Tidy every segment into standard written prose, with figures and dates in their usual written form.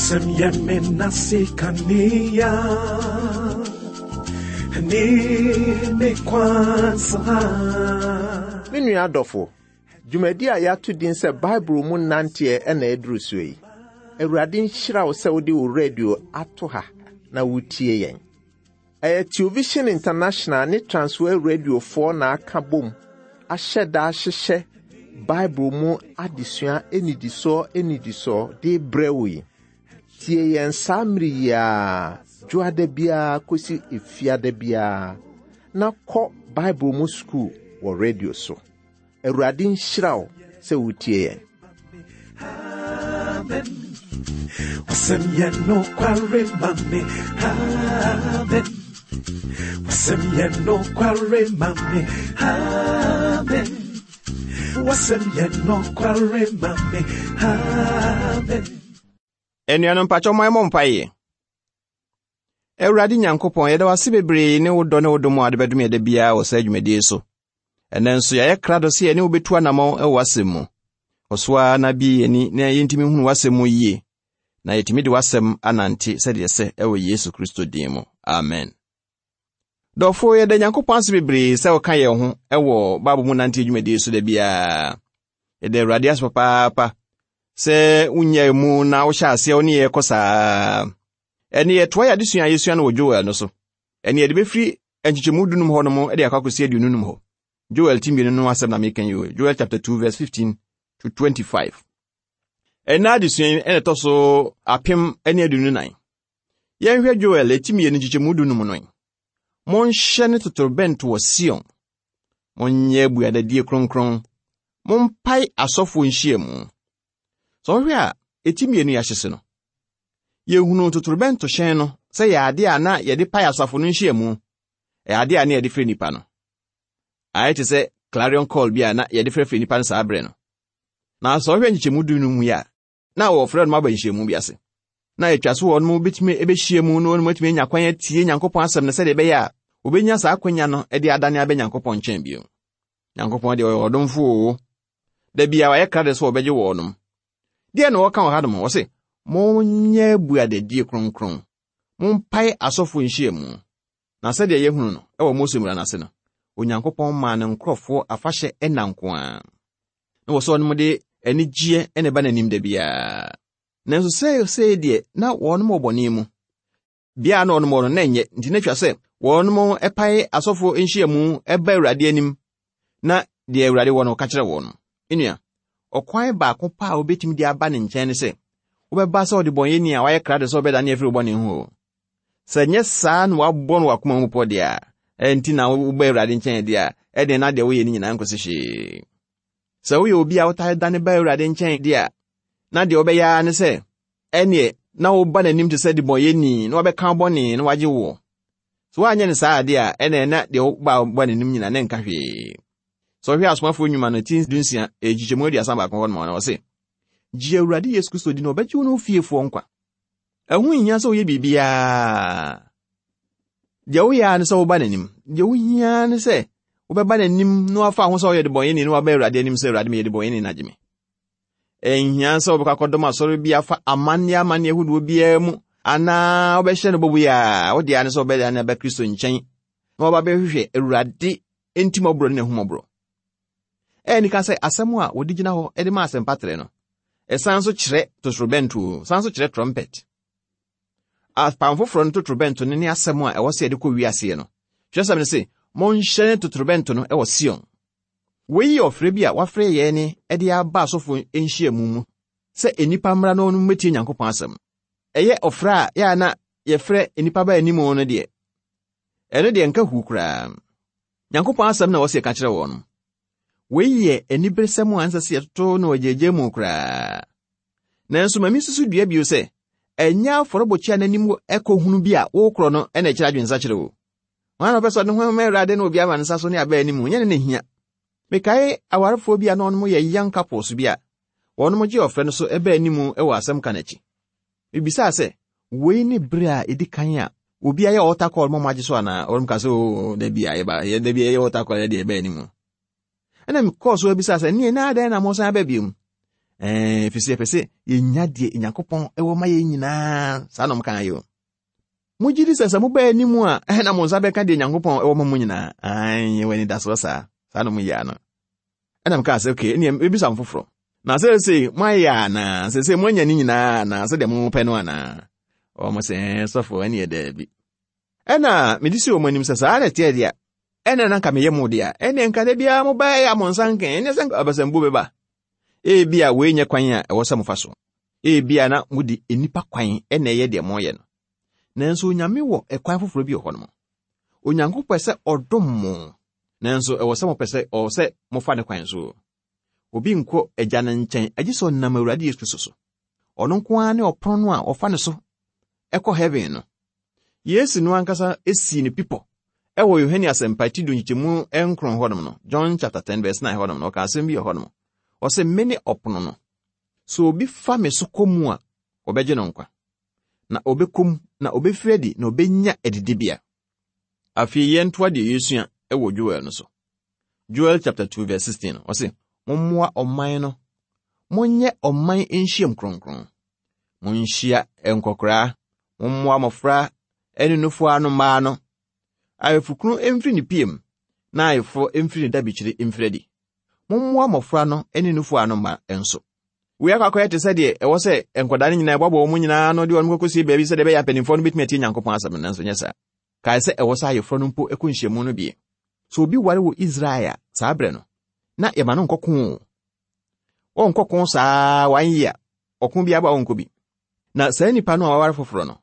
Wasɛm yɛ me nase kanea ne me kwan saa. Me nua adɔfo, dwumadi a yɛato din sɛ Bible mu nanteɛ na aduru soɔ yi. Awurade nhyira wo sɛ wode wo radio ato ha na wotie yɛn. Ɛyɛ Television International ne Transworld Radiofoɔ na aka bom ahyɛ da ahyehyɛ Bible mu adesua nnidisoɔ nnidisoɔ de rebrɛ wo yi. Tie yɛn saa mmere yi ara, dwoada biara kɔsi efiada biara, na kɔ Bible mu sukuu wɔ radio so. Awurade nhyira wo sɛ wotie yɛn. Amen. Wasɛm yɛ nokware ma me. Amen. Wasɛm yɛ nokware ma me. Amen. Wasɛm yɛ nokware ma me. Amen. Anuanom mpakyɛ ɔman mmɔ mpaeɛ. Awurade Nyankopɔn, yɛda wo ase bebree ne wo dɔ ne wo dom a wode bɛdom yɛ da biara wɔ saa dwumadie so. Ɛnnɛ nso yɛayɛ krado sɛ yɛne wo bɛtu anammɔn wɔ w'asɛm mu. Kɔ so ara na bie yɛn ani na yɛntumi hunu w'asɛm mu yie, na yɛtumi de w'asɛm anante sɛdeɛ ɛsɛ wɔ Yesu Kristo din mu. Amen. Dɔfo, yɛda Nyankopɔn ase bebree sɛ woka yɛn ho wɔ Bible mu nante dwumadie so da biara. Yɛda Awurade ase papaapa sɛ wonyaa mu na wohyɛ aseɛ wo ne yɛn kɔ saa. Ɛne yɛtoa yɛ adesua a yɛsua no wɔ Joel no so. Ɛne yɛde bɛfiri nkyekyɛmu dunum hɔ nom de akɔ akɔsi aduonu num hɔ. Joel ti mmienu no asɛm na meka yi o. Joel chapter 2 verse 15 to 25. Ɛnna adesua yi ɛna ɛtɔ so apem ne aduonu nan. Yɛnhwɛ Joel ti mmienu nkyekyɛmu dunum no. Monhyɛ ne totorobɛnto wɔ Sion. Monyɛ abuadadie kronkron. Mompae asɔfoɔ nhyiamu. Sɛ wohwɛ a, eti mmienu yi ahyese no, yɛhunu totorobɛnto hyɛn no sɛ yɛ ade a na yɛde pae asafo no nhyiamu, ɛyɛ ade a na yɛde frɛ nnipa no. Ayɛ te sɛ clarion call bi a na yɛde frɛfrɛ nnipa no saa berɛ no. Na sɛ wohwɛ nkyekyɛmu du no mu yi a, na wɔfrɛ no aba nhyiamu bi ase. Na atwa so wɔn bɛtumi bɛhyia mu na wɔn atumi anya kwan atie Nyankopɔn asɛm no sɛdeɛ ɛbɛyɛ a wɔbɛnya saa akwanya no de adane abɛ Nyankopɔn nkyɛn bio. Nyankopɔn deɛ ɔyɛ ɔdomfo oo. Da bia wayɛ krado sɛ ɔbɛgye wɔnom. Deɛ na wɔka wɔ hanom? Wɔse, monyɛ abuadadie kronkron, mompae asɔfoɔ nhyiamu. Na sɛdeɛ yɛhunu no wɔ Mose mmara no ase no, Onyankopɔn maa ne nkurɔfoɔ afahyɛ nna nko ara. Na wɔ sɛ wɔnom de anigyeɛ na ɛba n'anim da biara. Nanso seesei deɛ na wɔnom wɔ bɔne mu. Bea a na wɔnom wɔ no na ɛnyɛ, nti na atwa sɛ wɔnom pae asɔfoɔ nhyiamu ba Awurade anim na deɛ Awurade wɔ no ka kyerɛ wɔn. Nnua, ɔkwan baako pa a wobɛtumi de aba ne nkyɛn ne sɛ wobɛba sɛ ɔdebɔnyɛni a wayɛ krado sɛ ɔbɛdane afiri wo bɔne ho o. Sɛ nyɛ saa na wabɔ no w'akoma mu pɔ deɛ a, ɛnti na woba Awurade nkyɛn deɛ a, ɛdeɛ na deɛ woyɛ no nyinaa nkɔsi hwee. Sɛ woyɛ obi a wotaa dane ba Awurade nkyɛn deɛ a, na deɛ wobɛyɛ ara ne sɛ ɛneɛ na woba n'anim te sɛ debɔnyɛni na wabɛka wo bɔne na wagye woɔ. Sɛ woanyɛ no saa adeɛ a, ɛneɛ na deɛ woba ba n'anim nyina na ɛnka hwee. Sɛ wohwɛ Asomafoɔ Nnwuma no ti dunsia, nkyekyɛmu aduasa baako hɔ nom a, ɔse, Gye Awurade Yesu Kristo di na ɔbɛgye wo ne wo fiefoɔ nkwa. Ɛho nhia sɛ woyɛ biribiara. Deɛ woyɛ ara ne sɛ woba n'anim. Deɛ wohia ara ne sɛ wobɛba n'anim na wafa ho sɛ woyɛ debɔnyɛni na waba Awurade anim sɛ Awurade meyɛ debɔnyɛni na gye me. Ɛnhia sɛ wobɛkɔ akɔdɔm asɔre bi afa amanneɛ amanneɛ ahodoɔ biara mu anaa wobɛhyɛ no bɔbu a wode ara ne sɛ wobɛdane aba Kristo nkyɛn na waba bɛhwehwɛ Awurade ntimmɔborɔ ne n'ahummɔborɔ. Ɛyɛ nika sɛ asɛm a wɔde gyina hɔ de ma asɛmpatrɛ no, ɛsan nso kyerɛ totorobɛnto, san nso kyerɛ trɔmpɛt. Apam foforɔ no totorobɛnto no ne asɛm a ɛwɔ sɛ yɛde kɔ wiaseɛ no. Twerɛsɛm no se, monhyɛne totorobɛnto no wɔ Sion. Wei yɛ ɔfrɛ bi a wɔafrɛ yɛn de aba asɔfo nhyiamu mu sɛ nnipa mmra na wɔmmɛtie Nyankopɔn asɛm. Ɛyɛ ɔfrɛ a yɛ a na yɛfrɛ nnipa ba anim no deɛ, ɛno deɛ nka huu koraa. Nyankopɔn asɛm na ɛwɔ sɛ yɛka kyerɛ wɔn. Wei yɛ aniberesɛm a ɛnsɛ sɛ yɛtoto no agyagya mu koraa. Nanso ma minsusu dua bio sɛ, ɛnyɛ afɔrebɔkyia no anim ɛkɔ hunu bi a wokorɔ no na ɛkyerɛ adwensakyerɛ o. Hwan na ɔpɛ sɛ ɔde ne ho ma Awurade na obi ama ne nsa so ne aba anim? Nyɛ ne na ehia. Mekae awarefoɔ bi a na wɔnom yɛ young couples bi a wɔnom gye ɔfrɛ no so ɛba anim wɔ asɛm ka no akyi. Mebisaa sɛ, wei ne bere a edi kan a obi ayɛ altar call ma moagye so anaa? Wɔnom ka sɛ, oo, da bi a yɛba, da bi a yɛyɛ altar call yɛde ɛba anim. Ɛna mekɔɔ so abisaa sɛ, neɛ na adɛn na mosan aba biom? Ɛɛ, ɛfiri sɛ yɛpɛ sɛ yɛnya deɛ Nyankopɔn wɔ ma yɛn nyinaa. Saa na wɔn yɛ o. Mogye di sɛ sɛ mobaa anim a, ɛhɛ na mo nsa bɛka deɛ Nyankopɔn wɔ ma mo nyinaa. Ae, yɛwɔ anidasoɔ saa. Saa na wɔn yɛ ano. Ɛna mekaa sɛ, okay, ɛneɛ mebisa mo foforɔ. Na seesei moayɛ anaa? Seesei moanya ne nyinaa anaa? Sɛdeɛ mopɛ no anaa? Wɔn sɛ, ɛɛ, sɔfo, ɛneɛ daabi. Ɛna mede si wɔn anim sɛ saa na ɛteɛ deɛ, ɛna na nka meyɛ mo deɛ, ɛneɛ nka da biara mobaeɛ a mo nsa nka, ɛnyɛ sɛ abasambuo bɛba. Ebia wei nyɛ kwan a ɛwɔ sɛ mofa so. Ebia na mode nnipa kwan na ɛyɛ deɛ moyɛ no. Nanso Onyame wɔ ɛkwan foforɔ bi wɔ hɔ nom. Onyankopɔn pɛ sɛ ɔdom mo, nanso ɛwɔ sɛ mopɛ sɛ ɔwɔ sɛ mofa ne kwan so. Obi nkɔ Agya no nkyɛn agye sɛ ɔnam Awurade Yesu Kristo so. Ɔno nko ara ne ɔpono no a wɔfa ne so ɛkɔ heaven no. Yesu no ankasa sii no pipɔ ɛwɔ Yohane Asɛmpa ti du nkyekyɛmu nkron hɔnom no, John chapter 10 verse 9 hɔnom no, ɔka asɛm bi wɔ hɔnom. Ɔsɛ mene ɔpono no. Sɛ obi fa me so kɔ mu a, wɔbɛgye no nkwa. Na ɔbɛkɔ mu, na ɔbɛfiri adi, na ɔbɛnya adidibea. Afei yɛntoa deɛ yɛsua wɔ Joel no so. Joel chapter 2 verse 16 no, ɔse, Mommoa ɔman no, monyɛ ɔman nhyiam kronkron. Monhyia nkɔkoraa, mommoa mmɔfra ne nufoɔ ano mmaa no. Ayefokunu mfiri ne piam, na ayeforɔ mfiri ne dabikyiri mfiri adi. Mommoa mmɔfra no ne nufoɔ ano mma nso. Wei akɔ akɔyɛ te sɛ deɛ ɛwɔ sɛ nkwadaa no nyinaa ɛboaboa wɔn nyinaa ano de wɔn kɔkɔsie baabi sɛdeɛ ɛbɛyɛ mpanimfoɔ no bɛtumi atie Nyankopɔn asɛm no, nanso nyɛ saa. Kae sɛ ɛwɔ sɛ ayeforɔ no mpo kɔ nhyiamu no bie. Sɛ obi ware wɔ Israel a, saa berɛ no, na yɛma no nkɔko o. Ɔnkɔko saa one year, ɔko biara ba ɔnkɔ bi. Na saa nipa no a waware foforɔ no,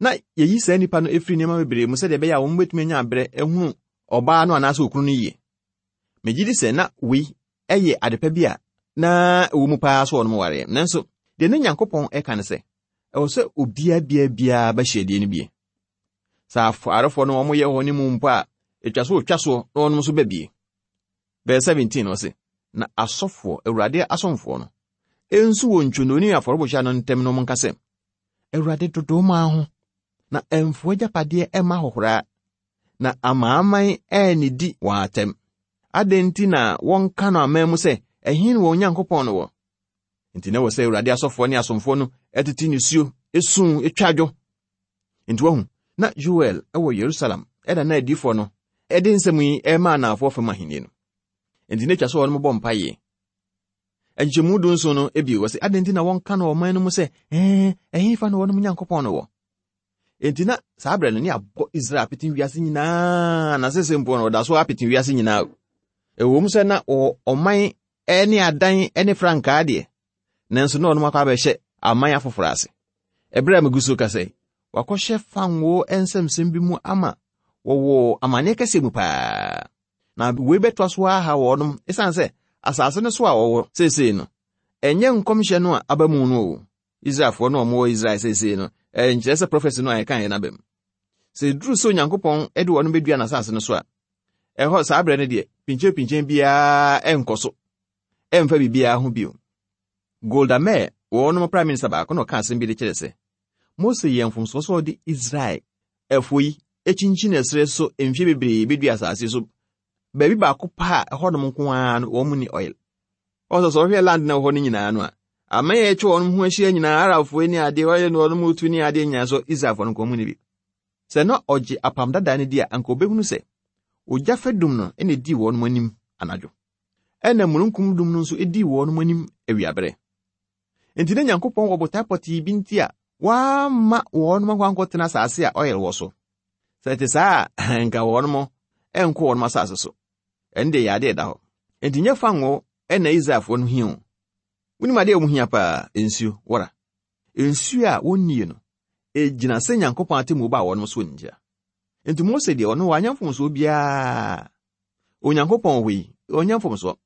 na yɛyi saa nipa no firi nneɛma bebree mu sɛdeɛ ɛbɛyɛ a wɔn bɛtumi anya aberɛ ahunu ɔbaa no anaasɛ okunu no yie. Megye di sɛ na wei yɛ adepa bi a na ɛwɔ mu paa sɛ wɔnom wareɛ. Nanso, deɛ na Nyankopɔn ɛka ne sɛ, ɛwɔ sɛ obiara biara biara bɛhyɛ deɛ no bie. Sɛ awarefoɔ no wɔyɛ hɔ ne mu mpo a, ɛtwa so wɔtwa soɔ na wɔnom nso ba bie. Verse 17 ɔse, na asɔfoɔ, Awurade asomfoɔ no, nso wɔ ntwonoo ne afɔrebukyia no ntam no nka sɛ, Awurade dodo maa ho, na ɛmfo agyapadeɛ ɛmma ahohoraa, na amanaman annidi wɔn atɛm. Adɛn nti na wɔnka no aman mu sɛ, Ɛhe na wɔn Nyankopɔn no wɔ? Enti na ɛwɔ sɛ Awurade asɔfoɔ ne asomfoɔ no tete nisuo, esu, twa dwo. Enti wahu, na Yoel wɔ Yerusalem ɛna na adiyifoɔ no de nsɛm yi rema anaafoɔ fam ahenni no. Enti na atwa sɛ wɔn bɔ mpaeɛ. Nkyɛmu dunson no bio, wɔsɛ adɛn nti na wɔnka no ɔman no mu sɛ, ɛɛ, ɛhefa na wɔn Nyankopɔn no wɔ? Enti na saa berɛ no ne abɔ Israel apete wiase nyinaa na sese mpo no ɔda so apete wiase nyinaa. Ɛwom sɛ na wɔwɔ ɔman ne adan ne frankaa deɛ, nanso na ɔnom akɔ abɛhyɛ aman afoforɔ ase. Ɛberɛ a megu so kasa yi, wakɔhyɛ fangoo nsɛmsɛm bi mu ama wɔwɔ amanneɛ kɛseɛ mu paa. Na wei bɛtoa so aha wɔnom ɛsiane sɛ asase no so a wɔwɔ seesei no, ɛnyɛ nkɔmhyɛ no a aba mu no o. Israelfoɔ no a wɔwɔ Israel seesei no, ɛnkyerɛ sɛ prɔfɛsi no a yɛkaeɛ no aba mu. Sɛ ɛduru sɛ Onyankopɔn de wɔn bɛdua n'asase no so a, ɛhɔ saa berɛ no deɛ, pinkyenpinkyen biara ɛnkɔ so, ɛmfa biribiara ho bio. Golda Meir, wɔnom prime minister baako na ɔka asɛm bi de kyerɛ sɛ, Mose yɛɛ mfomsoɔ sɛ ɔde Israel ɛfoɔ yi kyinkyin ɛserɛ so mfeɛ bebree bɛdua asase so baabi baako pa a ɛhɔnom nko ara no wɔn ni oil. Ɔsɛ sɛ ɔhwɛ land na ɛwɔ hɔ no nyinaa no a, aman a atwa wɔn ho ahyia nyinaa, Arabfoɔ ne adeɛ, wɔyɛ no wɔn mu tu ne adeɛ nyinaa so Israelfoɔ no nko wɔn ni bi. Sɛ na ɔgye apam dada no di a, anka ɔbɛhunu sɛ ogya fadum no na edii wɔn anim anadwo, ɛna mununkum dum no nso edii wɔn anim awiaberɛ. Enti na Nyankopɔn wɔ botae pɔtee bi nti a wamma wɔn akɔ ankɔtena asase a ɔyɛ wɔ so. Sɛ ɛte saa a, anka wɔn nkɔ wɔn asase so. Ɛno deɛ yɛ ade a ɛda hɔ. Enti nyɛ fango na Israelfoɔ no hia o. Wonim adeɛ a wɔn hia paa? Nsuo, wɔra. Nsuo a wɔnnie no, ɛgyina sɛ Nyankopɔn atemmuo baa wɔn so ntia. Enti Mose deɛ ɔno wanyɛ mfomsoɔ biara. Onyankopɔn wɔ hɔ yi, ɔnyɛ mfomsoɔ.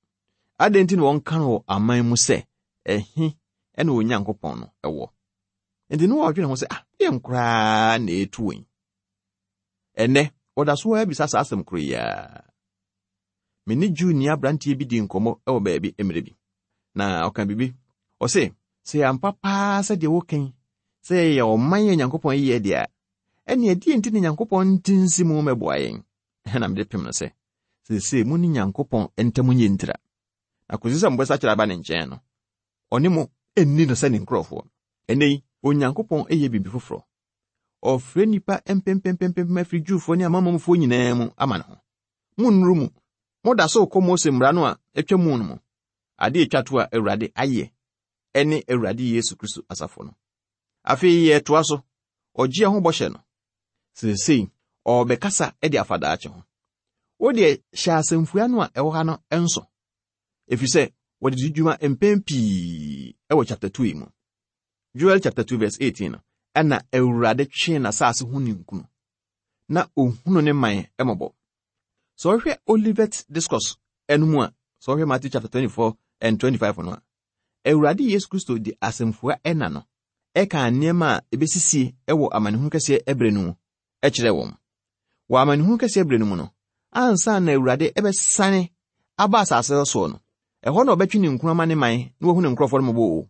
Adɛn nti na wɔnka no wɔ aman mu sɛ, ɛhe na Onyankopɔn no wɔ? Enti na wɔdwene ho sɛ, ah, deɛn koraa na ɛretu wɔn yi? Ɛnnɛ, wɔda so ara bisa saa asɛm koro yi ara. Me ne Jewni aberanteɛ bi dii nkɔmmɔ wɔ baabi mmerɛ bi, na ɔka biribi. Ɔse, sɛ ɛyɛ ampa paa sɛ deɛ woka yi, sɛ yɛyɛ ɔman a Nyankopɔn ayi yɛn deɛ a, ɛnneɛ ɛdeɛn nti na Nyankopɔn nte nsi mu mmɛboa yɛn? Ɛna mede pem no sɛ, seesei mo ne Nyankopɔn ntam nyɛ ntira. Na kɔsi sɛ mobɛsakyera aba ne nkyɛn no, ɔne mo nni no sɛ ne nkurɔfoɔ. Ɛnnɛ yi, Onyankopɔn yɛ biribi foforɔ. Ɔrefrɛ nnipa mpempempempem afiri Jewfoɔ ne amanamanmufoɔ nyinaa mu ama ne ho. Monnuru mu. Moda so rekɔ Mose mmara no a atwa mu no mu. Ade a etwa to a Awurade ayɛ ne Awurade Yesu Kristo asafo no. Afei yɛretoa so, ɔgyeɛ ho bɔhyɛ no. Seesei ɔrebɛkasa de afa daakye ho. Wo deɛ hyɛ asɛmfua no a ɛwɔ ha no nso, efisɛ wɔde di dwuma mpɛn pii wɔ chapter 2 yi mu. Joel chapter 2 verse 18 no, ɛna Awurade twee n'asase ho ninkunu, na ohunu ne man mmɔbɔ. Sɛ ɔhwɛ Olivet Discourse no mu a, sɛ ɔhwɛ Matthew chapter 24 and 25 no a, Awurade Yesu Kristo de asɛmfua ɛna no ɛkaa nneɛma a ebesisie wɔ amanehunu kɛseɛ ɛberɛ no mu kyerɛɛ wɔn. Wɔ amanehunu kɛseɛ berɛ no mu no, ansa na Awurade ɛbɛsane aba asase soɔ no, ɛhɔ na ɔbɛtwe ne nkunu ama ne man na wahu ne nkurɔfoɔ no mmɔbɔ o.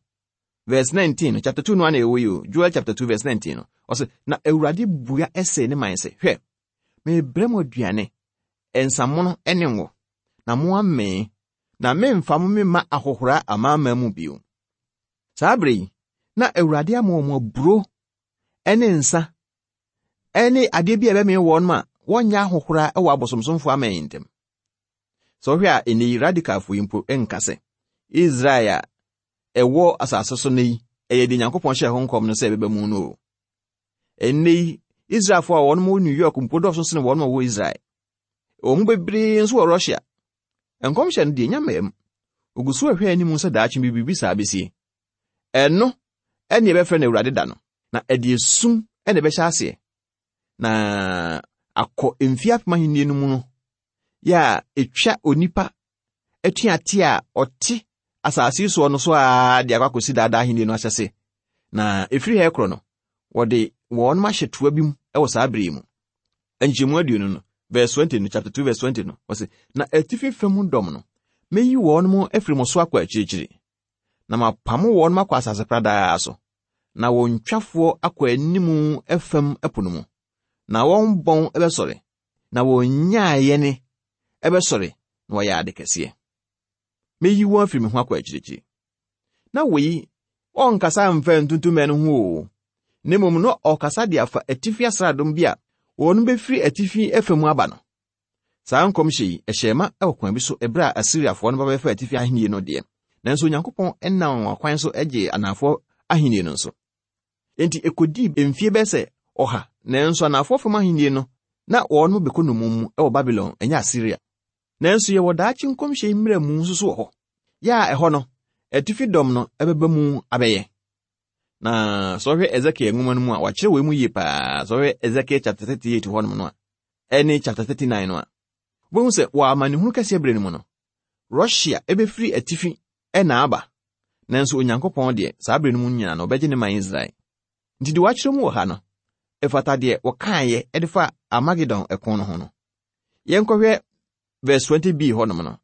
Verse 19 no, chapter 2 no ana ɛwɔ yi o, Joel chapter 2 verse 19 no, ɔsɛ, na Awurade bua ɛsɛ ne man sɛ, hwɛ, merebrɛ mo aduane, nsamono ne ngo, na moamee, na memfa mo memma ahohora amanaman mu bio. Saa bere yi, na Awurade ama wɔn aburo ne nsa ne adeɛ bi a ɛbɛmee wɔn ma wɔnyɛ ahohora wɔ abosomsomfo aman yi ntam. Sɛ wohwɛ a, ɛnnɛ yi radikalfo yi mpo nka sɛ Israel a ɛwɔ asase so no yi ɛyɛ deɛ Nyankopɔn hyɛɛ ho nkɔm no sɛ ɛbɛba mu no o. Ɛnnɛ yi, Israelfo a wɔn wɔ New York mpo dɔɔso sene wɔn a wɔwɔ Israel. Wɔn mu bebree nso wɔ Russia. Nkɔmhyɛ no deɛ nya mmaa mu. Ogu so rehwɛ anim sɛ daakye bi biribi saa besie. Ɛno ɛne ɛbɛfrɛ no Awurade da no, na ɛde esum na ɛbɛhyɛ aseɛ. Na akɔ mfie apem ahenni no mu no, yɛ a etwa onipa atuateɛ a ɔte asase yi soɔ no so ara de akɔ akɔsi daadaa ahenni no ahyɛse. Na ɛfiri ha korɔ no, wɔde wɔn ahyɛ toa bi mu wɔ saa bere yi mu. Nkyɛmu aduonu no, verse 20 no, chapter 2 verse 20 no, wɔse, Na atifi fam dɔm no, meyi wɔn mo afiri mo so akɔ akyirikyiri, na mapamo wɔn akɔ asase pradaa so, na wɔn twafoɔ akɔ anim fam po no mu, na wɔn bɔn bɛsɔre, na wɔn nyaayɛne bɛsɔre na wɔayɛ ade kɛseɛ. Meyi wɔn afiri me ho akɔ akyirikyiri. Na wei, ɔnkasa mfa ntuntumɛ no ho o, na mmom na ɔkasa de afa atifi asraadom bi a wɔn bɛfiri atifi afa mu aba no. Saa nkɔmhyɛ yi, ɛhyɛɛ ma wɔ kwan bi so ɛberɛ a Asiriafoɔ no ba bɛfa atifi ahennie no deɛ, nanso Onyankopɔn nam wɔn akwan so gyee anaafoɔ ahennie no nso. Enti ekodii mfie bɛyɛ sɛ ɔha, nanso anaafoɔ fam ahenni no, na wɔn bɛkɔ nnommum mu wɔ Babilon, ɛnyɛ Asiria. Nanso yɛwɔ daakye nkɔmhyɛ yi mmerɛmu nso so wɔ hɔ, yɛ a ɛhɔ no, atifi dɔm no bɛba mu abɛyɛ. Na sɛ ɔhwɛ Ezekiel nwoma no mu a, wɔakyerɛ wei mu yie paa. Sɛ ɔhwɛ Ezekiel chapter 38 hɔnom no a, ɛne chapter 39 no a, wobɛhu sɛ wɔ amanehunu kɛseɛ berɛ no mu no, Russia bɛfiri atifi na aba, nanso Onyankopɔn deɛ, saa berɛ no mu nyinaa no, ɔbɛgye ne man Israel. Nti deɛ wɔakyerɛ mu wɔ ha no, ɛfata deɛ wɔkaeɛ de fa Armagedon ɛko no ho no. Yɛnkɔhwɛ verse 20b hɔnom no.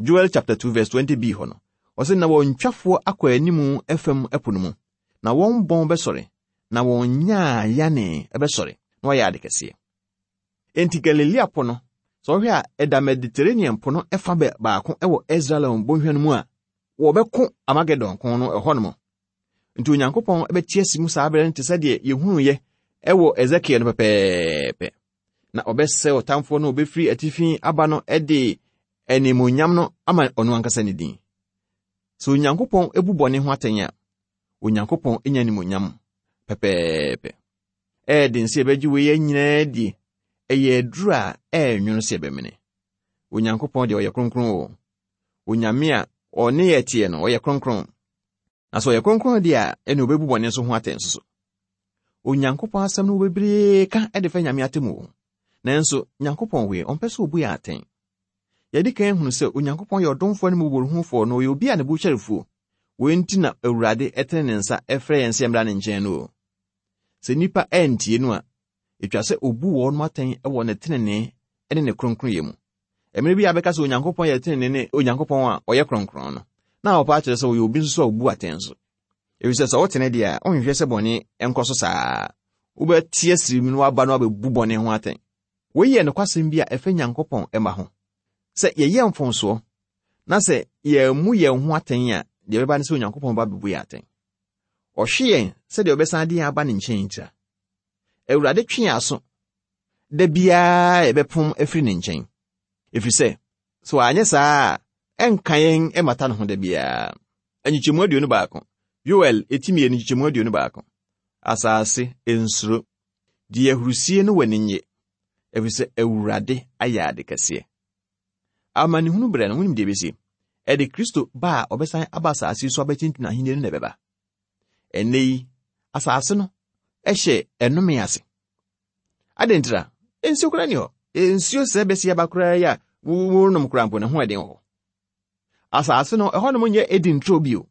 Joel chapter 2 verse 20b hɔ no, ɔse na wɔn twafoɔ akɔ anim fam ɛpo no mu, na wɔn bɔn bɛsɔre, na wɔn nyaayane bɛsɔre, na wɔayɛ ade kɛseɛ. Enti Galilea Po no, sɛ wohwɛ a, ɛda Mediterranean Po no fa baako wɔ Esdraelon bɔnhwa no mu a wɔbɛko Armagedon ko no ɛhɔ nom. Nti Onyankopɔn bɛte asi mu saa berɛ no te sɛ deɛ yɛhunuiɛ wɔ Ezekiel no pɛpɛɛpɛ. Na ɔbɛsɛe ɔtamfoɔ no a ɔbɛfiri atifi aba no de animuonyam no ama ɔno ankasa ne din. Sɛ Onyankopɔn bu bɔne ho atɛn a, Onyankopɔn nya animuonyam pɛpɛɛpɛ. Ɛyɛ den sɛ yɛbɛgye wei nyinaa adie. Ɛyɛ aduru a ɛyɛ nwono sɛ yɛbɛmene. Onyankopɔn deɛ ɔyɛ kronkron o. Onyame a ɔne yɛ teɛ no, ɔyɛ kronkron. Na sɛ ɔyɛ kronkron deɛ a, ɛne ɔbɛbu bɔne nso ho atɛn nso so. Onyankopɔn asɛm no wɔ bebree ka de fa Nyame atemmuo ho. Nanso, Nyankopɔn wei, ɔmpɛ sɛ ɔbu yɛn atɛn. Yɛadi kan ahunu sɛ Onyankopɔn yɛ ɔdomfoɔ ne mmɔborɔhunufoɔ na ɔyɛ obi a ne bo kyɛre fuo. Wei nti na Awurade tene ne nsa frɛ yɛn sɛ yɛmmra ne nkyɛn no o. Sɛ nnipa antie no a, etwa sɛ obu wɔn atɛn wɔ ne trenee ne ne kronkronyɛ mu. Mmere bi a bɛka sɛ Onyankopɔn yɛ trenee ne Onyankopɔn a ɔyɛ kronkron no, na wɔpa akyerɛ sɛ ɔyɛ obi nso a obu atɛn nso. Efisɛ sɛ wotene deɛ a, wonhwehwɛ sɛ bɔne nkɔ so saa. Wobɛte asiri mu na woaba no abɛbu bɔne ho atɛn. Wei yɛ nokwasɛm bi a ɛfa Nyankopɔn mma ho. Sɛ yɛyɛ mfomsoɔ na sɛ yɛammu yɛn ho atɛn a, deɛ ɛbɛba ne sɛ Onyankopɔn ba bɛbu yɛn atɛn. Ɔhwe yɛn sɛdeɛ ɔbɛsan de yɛn aba ne nkyɛn ntira. Awurade twe yɛn aso da biara yɛbɛpom afiri ne nkyɛn. Ɛfiri sɛ, sɛ wanyɛ saa a, ɛnka yɛn mmata ne ho da biara. Nkyekyɛmu 21, Yoel eti 2 nkyekyɛmu 21. Asase, nsuro. Di ahurusie ne w'ani nnye, ɛfiri sɛ Awurade ayɛ ade kɛseɛ. Amanehunu berɛ no, wonim deɛ ɛbɛsi? Ɛde Kristo ba a ɔbɛsan aba asase so abɛtintim ahenni no na ɛbɛba. Ɛnnɛ yi, asase no hyɛ ɛnome ase. Adɛn ntira? Nsuo koraa ni hɔ. Nsuo sɛ bɛsi aba koraa yi a wonom koraa mpo ne ho ɛden wɔ hɔ. Asase no, ɛhɔnom nyɛ Eden turo bio.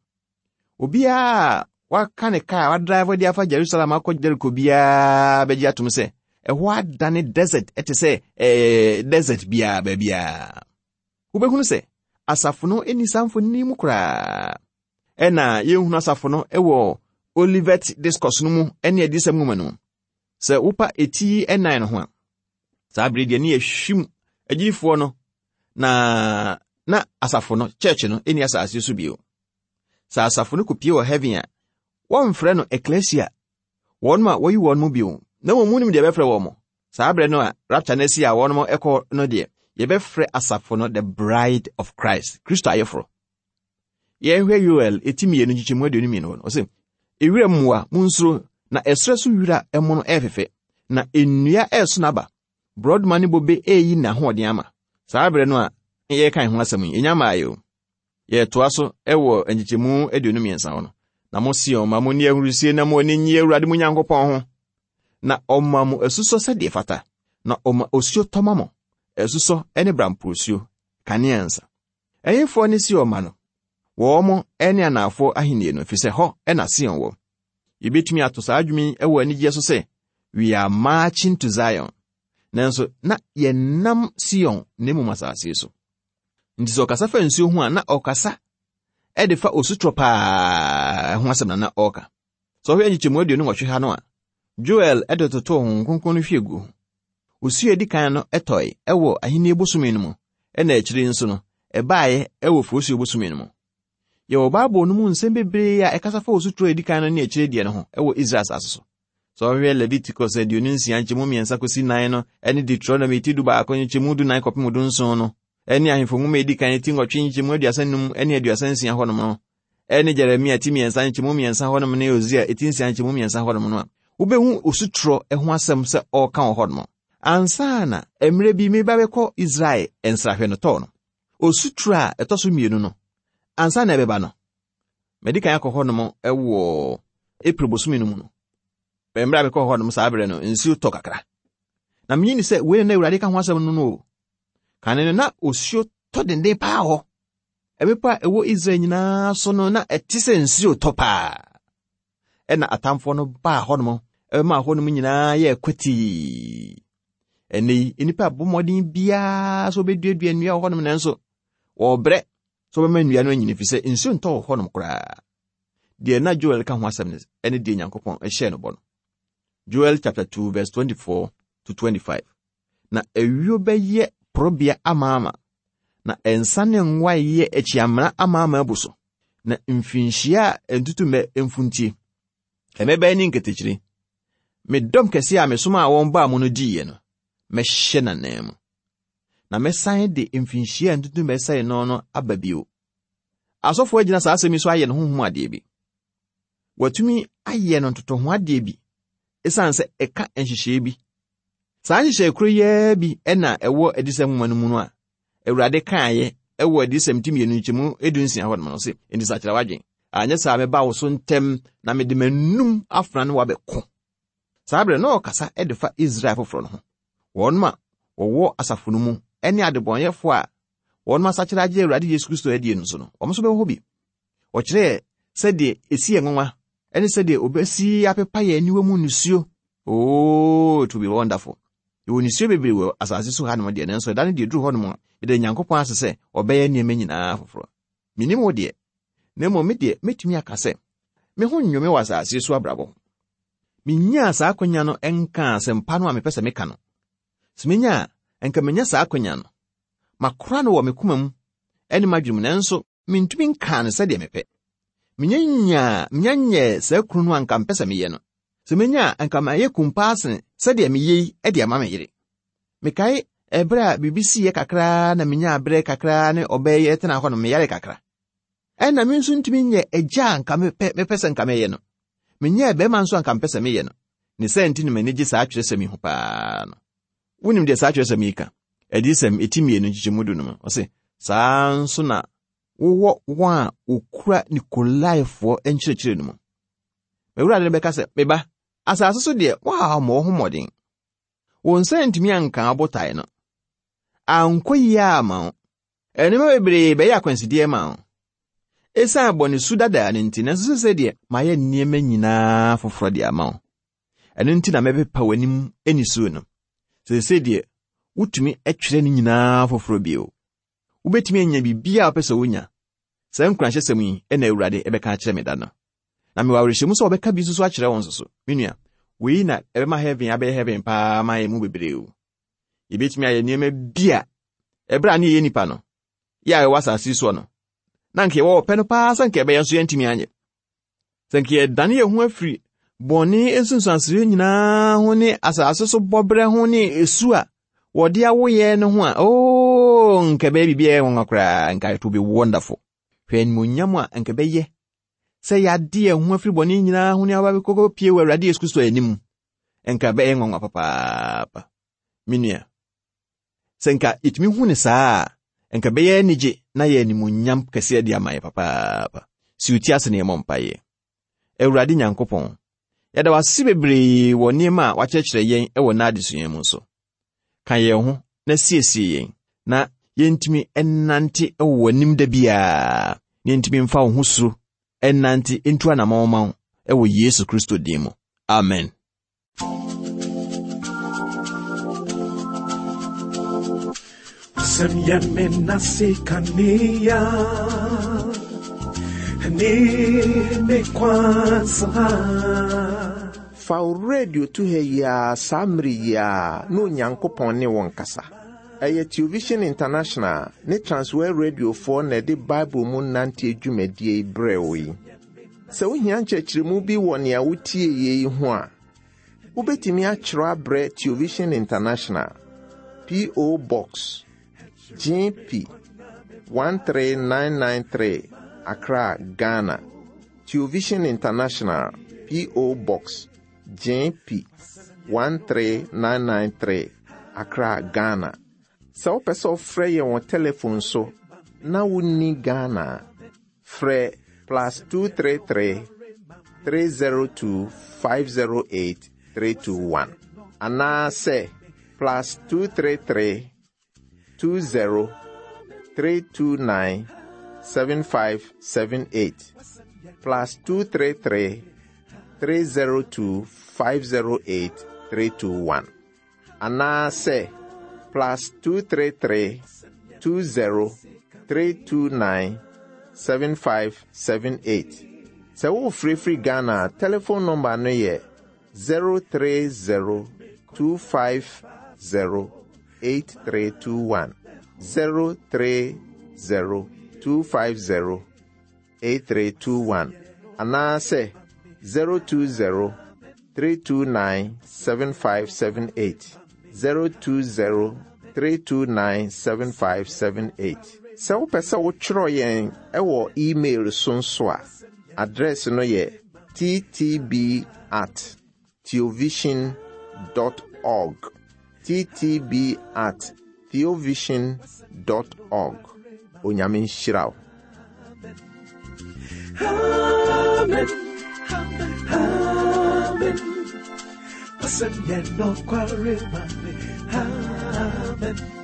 Obiara a waka ne kaa a wadrive de afa Jerusalem akɔ Jericho biara bɛgye atom sɛ ɛhɔ adane desert ɛte sɛ ɛɛ desert biara baabiara. Wobɛhunu sɛ asafo no nni saa mfonini mu koraa. Ɛna yɛnhunu asafo no wɔ Olivet Discourse no mu ne Adiyisɛm nwoma no mu. Sɛ wopa eti ɛnan no ho a, saa bere deɛ ne yɛhwim agyidifoɔ no na na asafo no church no ɛni asase so bio. Sɛ asafo no kɔpie wɔ heaven a, wɔmfrɛ no ecclesia, wɔn a wɔyi wɔn mu bio, na wɔn mu nim deɛ ɛbɛfrɛ wɔn mo. Saa berɛ no a rapture no asi a wɔn ɛkɔ no deɛ, yɛbɛfrɛ asafo no the bride of Christ, Kristo ayeforo. Yɛnhwɛ Yoel eti 2 nkyekyɛmu 22 hɔ no, ɔse, Ewira mmoa, munsuro, na ɛserɛ so wira mono ɛrefefɛ, na nnua ɛreso n'aba, borɔdoma ne bobe ɛreyi n'ahoɔden ama. Saa berɛ no a yɛreka ho asɛm yi, ɛnya mmaeɛ o. Yɛtoa so wɔ nkyekyɛmu 23 hɔ no. Na mo Sion ma monni ahurusie na mo ani nnye Awurade mo Nyankopɔn ho, na ɔma mo asusɔ sɛdeɛ ɛfata, na ɔma osuo tɔ ma mo, asusɔ ne bramposuo, kanea nsa. Ɛhefoɔ ne Sion mma no? Wɔn ne anaafoɔ ahennie no, ɛfiri sɛ hɔ na Sion wɔ. Yɛbɛtumi ato saa dwom yi wɔ anigyeɛ so sɛ, We are marching to Zion. Nanso na yɛnam Sion na mmom asase so. Nti sɛ ɔkasa fa nsuo ho a, na ɔkasa de fa osutorɔ paa ho asɛm na na ɔreka. Sɛ ɔhwɛ nkyekyɛmu 28 ha no a, Joel de totoo Honhom Kronkron no hwie gu ho. Osu a edi kan no tɔe wɔ Ahenni bosome no mu, ɛnna akyiri yi nso no, ɛbaeɛ wɔ Oforisuo bosome no mu. Yɛwɔ Bible no mu nsɛm bebree a ɛkasa fa osuturo a edi kan no ne akyire deɛ no ho wɔ Israel asase so. Sɛ ɔhwehwɛ Leviticus 26 nkyɛmu 3 kɔsi 4 no ne Deuteronomy ti 11 nkyɛmu 14 kɔpem 17 no ne Ahemfo nwoma a edi kan ti 8 nkyɛmu 35 ne 36 hɔnom no ne Jeremia ti 3 nkyɛmu 3 hɔnom ne Hosea ti 6 nkyɛmu 3 hɔnom no a, wobɛhu osutorɔ ho asɛm sɛ ɔreka wɔ hɔnom. Ansa na mmerɛ bi meba bɛkɔ Israel nsrahwɛ no tɔɔ no, osutorɔ a ɛtɔ so mmienu no, ansa na ɛbɛba no, madi kan akɔ hɔnom wɔ April bosome no mu no. Mmerɛ a mekɔɔ hɔnom saa berɛ no, nsuo tɔ kakra. Na menyi ni sɛ wei na Awurade ka ho asɛm no no o. Kane no na osuo tɔ denden paa hɔ. Mmepɔ a ɛwɔ Israel nyinaa so no na ɛte sɛ nsuo tɔ paa. Ɛna atamfoɔ no baa hɔnom ɛbɛmaa hɔnom nyinaa yɛɛ kwatii. Ɛnnɛ yi, nnipa abɔ mmɔden biara sɛ wɔbɛduadua nnua wɔ hɔnom nanso wɔrebrɛ sɛ wɔbɛma nnua no anyini ɛfiri sɛ nsuo ntɔ wɔ hɔnom koraa. Deɛ na Joel ka ho asɛm no ɛne deɛ Nyankopɔn hyɛɛ no bɔ no. Joel chapter 2 verse 24 to 25. Na ayuo bɛyɛ porobea amaama, na nsa ne ngo ayeyɛ akyiamena amaama abu so, na mfirinhyia a ntutummɛ mfuntie, mmɛbɛn ne nketekyire, me dɔm kɛseɛ a mesomaa wɔn baa mu no diiɛ no, mɛhyɛ n'ananmu. Na mɛsan de mfinhyia a ntutummɛ sɛe no no aba bio. Asɔfoɔ agyina saa asɛm yi so ayɛ no honhom adeɛ bi. Wɔatumi ayɛ no ntotoho adeɛ bi esiane sɛ ɛka nhyehyɛe bi. Saa nhyehyɛe koro yi ara bi na ɛwɔ Adiyisɛm nwoma no mu no a Awurade kaeɛ wɔ Adiyisɛm ti 2 nkyɛmu 16 hɔ nom no se, Enti sakyera w'adwen, anyɛ saa mɛba wo so ntɛm na mede m'anum afena ne wo abɛko. Saa berɛ na ɔkasa de fa Israel foforɔ no ho, wɔn a wɔwɔ asafo no mu ne adebɔnyɛfoɔ a wɔn asakyera agye Awurade Yesu Kristo adie no nso no, wɔn nso bɛwɔ hɔ bi. Ɔkyerɛɛ sɛdeɛ ɛsi yɛ nwanwa ne sɛdeɛ ɔbɛsi apepa yɛn aniwa mu nisuo. Oh, it will be wonderful. Yɛwɔ nisuo bebree wɔ asase so hanom deɛ, nanso ɛda no deɛ duru hɔnom a, yɛda Nyankopɔn ase sɛ ɔbɛyɛ nneɛma nyinaa foforɔ. Menim wo deɛ, na mmom me deɛ mɛtumi aka sɛ, me ho nnwo me wɔ asase so abrabɔ ho. Menyaa saa akwanya no nkaa asɛmpa no a mepɛ sɛ meka no. Sɛ menya a, anka menya saa akwanya no. Makora no wɔ me koma mu ne m'adwene mu, nanso mentumi nkaa no sɛdeɛ mepɛ. Menya nyaa, menya nyɛɛ saa kunu no a anka mepɛ sɛ meyɛ no. Sɛ menya a, anka mayɛ kun paa sene sɛdeɛ meyɛ yi de ama me yere. Mekae ɛberɛ a biribi siiɛ kakraa na menyaa berɛ kakraa ne ɔbaa yi tena hɔ no, meyare kakra. Ɛnna me nso ntumi nyɛ agya a anka mepɛ, mepɛ sɛ anka mɛyɛ no. Menyɛɛ bɛrima nso anka mepɛ sɛ meyɛ no. Ne saa nti na m'ani gye saa twerɛsɛm yi ho paa no. Wonim deɛ saa twerɛsɛm yi ka? Adiyisɛm eti mmienu nkyekyɛmu du no mu. Ɔse, saa nso na wowɔ wɔn a wɔkura Nikolaifoɔ nkyerɛkyerɛ no mu. M'Awurade no bɛka sɛ, Me ba, asase so deɛ woammɔ wo ho mmɔden. Wo nsa antumi anka wo botae no. Ankɔ yie amma wo. Nneɛma bebree bɛyɛ akwansideɛ ma wo. Esiane bɔne su dadaa no nti, nanso sesei deɛ mayɛ nneɛma nyinaa foforɔ de ama wo. Ɛno nti na mɛpepa w'anim nisuo no. Sesei deɛ wotumi twerɛ ne nyinaa foforɔ bio. Wobɛtumi anya biribiara a wopɛ sɛ wonya. Saa nkuranhyɛsɛm yi na Awurade bɛka akyerɛ me da no. Na mewɔ awerɛhyɛmu sɛ ɔbɛka bi nso so akyerɛ wo nso so. Me nua, wei na ɛbɛma heaven abɛyɛ heaven paa ma yɛn mu bebree o. Yɛbɛtumi ayɛ nneɛma bi a ɛberɛ a ne yɛyɛ nnipa no, yɛ a yɛwɔ asase soɔ no, na anka yɛwɔ ɔpɛ no paa sɛ anka ɛbɛyɛ nso yɛntumi anyɛ. Sɛ anka yɛdane yɛn ho afiri bɔne nsunsuansoɔ nyinaa ho ne asase so bɔberɛ ho ne esu a wɔde awo yɛn no ho a, oo, nka ɛbɛyɛ biribi a ɛyɛ nwanwa koraa, nka it will be wonderful. Hwɛ animuonyam a nka ɛbɛyɛ sɛ yɛade yɛn ho afiri bɔne nyinaa ho ne aba bɛkɔkɔ pie wɔ Awurade Yesu Kristo anim. Nka ɛbɛyɛ nwanwa papaapa. Me nua, sɛ nka yɛtumi hu ne saa a, nka ɛbɛyɛ anigye na yɛ animuonyam kɛseɛ de ama yɛ papaapa. Si wo ti ase na yɛmmɔ mpaeɛ. Awurade Nyankopɔn, yɛda wo ase bebree wɔ nneɛma a wakyerɛkyerɛ yɛn wɔ n'adesua mu so. Ka yɛn ho na siesie yɛn na yɛntumi nnante wɔ w'anim da biara, na yɛntumi mfa wo ho suro nnante ntu anammɔn ma wo wɔ Yesu Kristo din mu. Amen. Sɛm yɛ me nase kanea ne me kwan so ha. Fa wo radio to ha yi ara saa mmere yi ara na Onyankopɔn ne wo nkasa. Ɛyɛ Television International ne Transworld Radiofoɔ na ɛde Bible mu nanteɛ dwumadie yi brɛɛ wo yi. Sɛ wohia nkyerɛkyerɛmu bi wɔ nea wotieeɛ yi ho a, wobɛtumi atwerɛ abrɛ Television International, P.O. Box, GP 13993, Accra, Ghana. Television International, P.O. Box, GP 13993, Accra, Ghana. Sɛ wopɛ sɛ wofrɛ yɛn wɔ telefon so na wonni Ghana a, frɛ plus 233 302 508 321 anaasɛ plus 233 20 329 7578 plus 233 302 508 321 anaasɛ plus 233 20 329 7578. Sɛ worefrɛfiri Ghana a, telefon nɔmba no yɛ 030 250 8321. 030 250 8321 anaasɛ 020 329 7578. 020 329 7578. Sɛ wopɛ sɛ wotwerɛ yɛn wɔ email so nso a, address no yɛ ttb at theovision dot org. ttb at theovision dot org. Onyame nhyira wo. Amen. Amen. Amen.